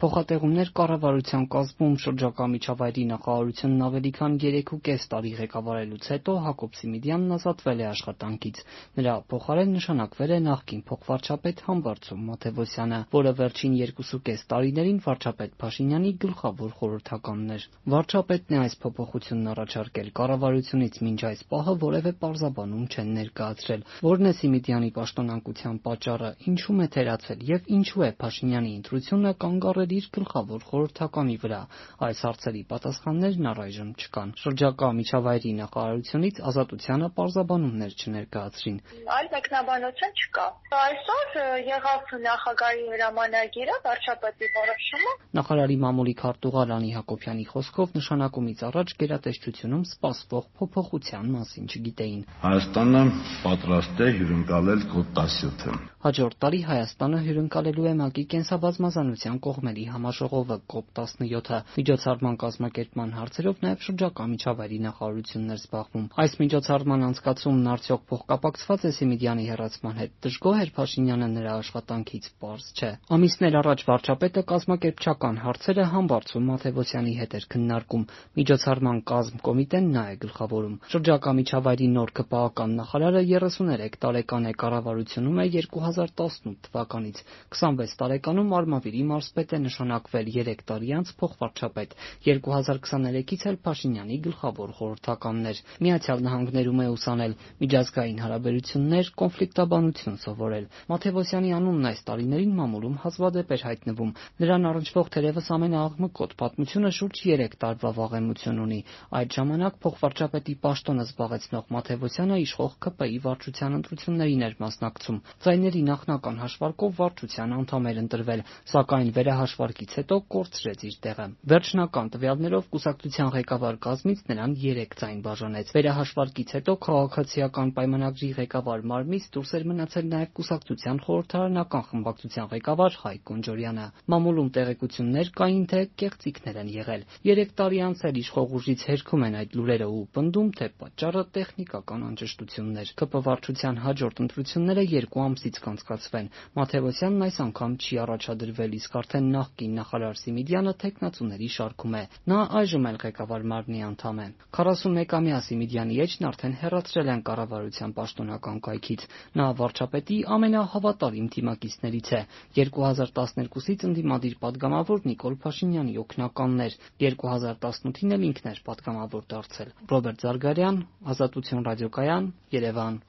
Փոխատեղումներ կառավարության կազմում շրջակա միջավայրի նախարարությունն ավելի քան 3.5 տարի ղեկավարելուց հետո Հակոբ Սիմիդյանն ազատվել է աշխատանքից։ Նրա փոխարեն նշանակվել է նախկին փոխվարչապետ Համբարձում Մաթևոսյանը, որը վերջին 2.5 տարիներին վարչապետ Փաշինյանի գլխավոր խորհրդականն էր։ Վարչապետն է այս փոփոխությունն առաջարկել, կառավարությունից մինչ այս պահը որևէ պարզաբանում չեն ներկայացրել։ Որն է Սիմիդյանի պաշտոնանկության պատճառը, ինչու՞մ է թերացել եւ ինչու է Փաշինյանի ընտրությունը կանգ առել իր գլխավոր խորհրդականի վրա։ Այս հարցերի պատասխաններն առայժմ չկան։ Շրջակա միջավայրի նախարարությունից Ազատությանը պարզաբանումներ չներկայացրին։ Այլ մեկնաբանություն չկա։ Այսօր եղավ նախագահի հրամանագիրը, վարչապետի որոշումը։ Նախարարի մամուլի քարտուղար Անի Հակոբյանի խոսքով նշանակումից առաջ գերատեսչությունում սպասվող փոփոխության մասին չգիտեին։ Հայաստանը պատրաստ է հյուրընկալել կոդ 17-ը։ Հաջորդ տարի Հայաստանը հյուրընկալելու է ՄԱԿ-ի կենսաբազմազանության կողմերի համաժողովը COP17-ը։ Միջոցառման կազմակերպման հարցերով նաև շրջակա միջավայրի նախարարությունն էր զբաղվում։ Այս միջոցառման անցկացումն արդյոք փոխկապակցված է Սիմիդյանի հեռացման հետ։ Դժգոհ էր Փաշինյանը նրա աշխատանքից, պարզ չէ։ Ամիսներ առաջ վարչապետը կազմակերպչական հարցերը Համբարձում Մաթևոսյանի հետ էր քննարկում։ Միջոցառման կազմ կոմիտեն նա է գլխավորում։ Շրջակա միջավայրի նոր ԿՊԱ-ական նախարարը 33 տարեկան է, կառավարությունում է 2018 թվականից։ 26 տարեկանում Արմավիրի մարզպետ է նշանակվել, 3 տարի անց փոխվարչապետ։ 2023-ից էլ Փաշինյանի գլխավոր խորհրդականն էր։ Միացյալ Նահանգներում է ուսանել, միջազգային հարաբերություններ, կոնֆլիկտաբանություն սովորել։ Մաթևոսյանի անունն այս տարիներին մամուլում հազվադեպ էր հայտնվում։ Նրան առնչվող թերևս ամենաաղմկոտ պատմությունը շուրջ 3 տարվա վաղեմություն ունի։ Այդ ժամանակ փոխվարչապետի պաշտոնը զբաղեցնող Մաթևոսյանը իշխող ՔՊ-ի վարչության ընտրություններին էր մասնակցում։ Ձայների նախնական հաշվարկով վարչության անդամ էր ընտրվել, սակայն վերահաշվարկից հետո կորցրեց իր տեղը։ Վերջնական տվյալներով կուսակցության ղեկավար կազմից նրան 3 ձայն բաժանեց։ Վերահաշվարկից հետո քաղաքացիական պայմանագրի ղեկավար մարմնից դուրս էր մնացել նաև կուսակցության խորհրդարանական խմբակցության ղեկավար Հայկ Կոնջորյանը։ Մամուլում տեղեկություններ կային, թե կեղծիքներ են եղել։ 3 տարի անց էլ իշխող ուժից հերքում են այդ լուրերը ու պնդում, թե պատճառը տեխնիկական անճշտությունն էր։ ԿՊ վարչության հաջորդ ընտրությունները 2 ամսից կանցկացվեն։ Մաթևոսյանն այս անգամ չի առաջադրվել, իսկ արդեն նախկին նախարար Սիմիդյանը թեկնածուների շարքում է։ Նա այժմ էլ ղեկավար մարմնի անդամ է։ 41-ամյա Սիմիդյանի էջն արդեն հեռացրել են կառավարության պաշտոնական կայքից։ Նա վարչապետի ամենահավատարիմ թիմակիցներից է։ 2012-ից ընդդիմադիր պատգամավոր Նիկոլ Փաշինյանի օգնականն էր։ 2018-ին էլ ինքն էր պատգամավոր դարձել։ Ռոբերտ Զարգարյան, Ազատություն ռադիոկայան, Երևան։